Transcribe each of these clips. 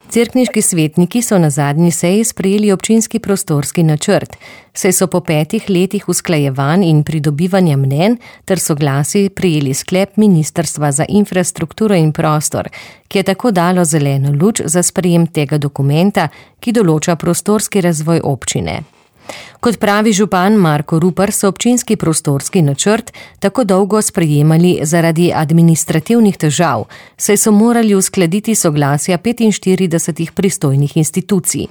Cerkniški svetniki so na zadnji seji sprejeli občinski prostorski načrt, saj so po 5 letih usklajevanj in pridobivanja mnenj ter soglasij prejeli sklep Ministrstva za infrastrukturo in prostor, ki je tako dalo zeleno luč za sprejem tega dokumenta, ki določa prostorski razvoj občine. Kot pravi župan Marko Rupar, so občinski prostorski načrt tako dolgo sprejemali zaradi administrativnih težav, saj so morali uskladiti soglasja 45 pristojnih institucij.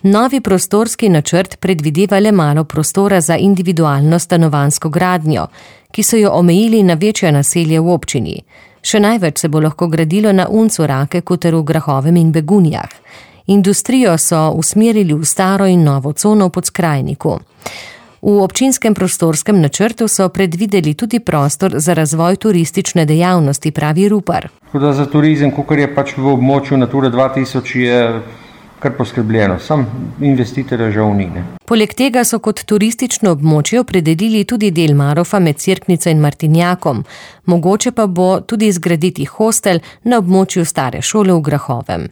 Novi prostorski načrt predvideva le malo prostora za individualno stanovanjsko gradnjo, ki so jo omejili na večja naselja v občini. Še največ se bo lahko gradilo na Uncu, Rakeku ter v Grahovem in Begunjah. Industrijo so usmerili v staro in novo cono v Podskrajniku. V občinskem prostorskem načrtu so predvideli tudi prostor za razvoj turistične dejavnosti, pravi Rupar. Za turizem, kakor je pač v območju Natura 2000, je kar poskrbljeno, sam investitorja žal ni. Poleg tega so kot turistično območje opredelili tudi del Marofa med Cerknico in Martinjakom. Mogoče pa bo tudi zgraditi hostel na območju stare šole v Grahovem.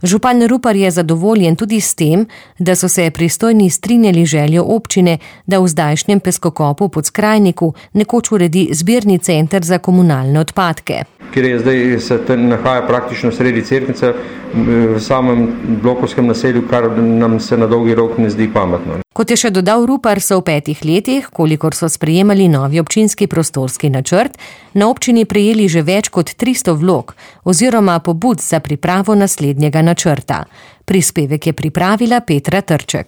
Župan Rupar je zadovoljen tudi s tem, da so se pristojni strinjali željo občine, da v zdajšnjem peskokopu v Podskrajniku nekoč uredi zbirni center za komunalne odpadke. Ker je zdaj se nahaja praktično sredi Cerknice, v samem blokovskem naselju, kar nam se na dolgi rok ne zdi pametno. Kot je še dodal Rupar, so v 5 letih, kolikor so sprejemali novi občinski prostorski načrt, na občini prejeli že več kot 300 vlog oziroma pobud za pripravo naslednjega načrta. Prispevek je pripravila Petra Trček.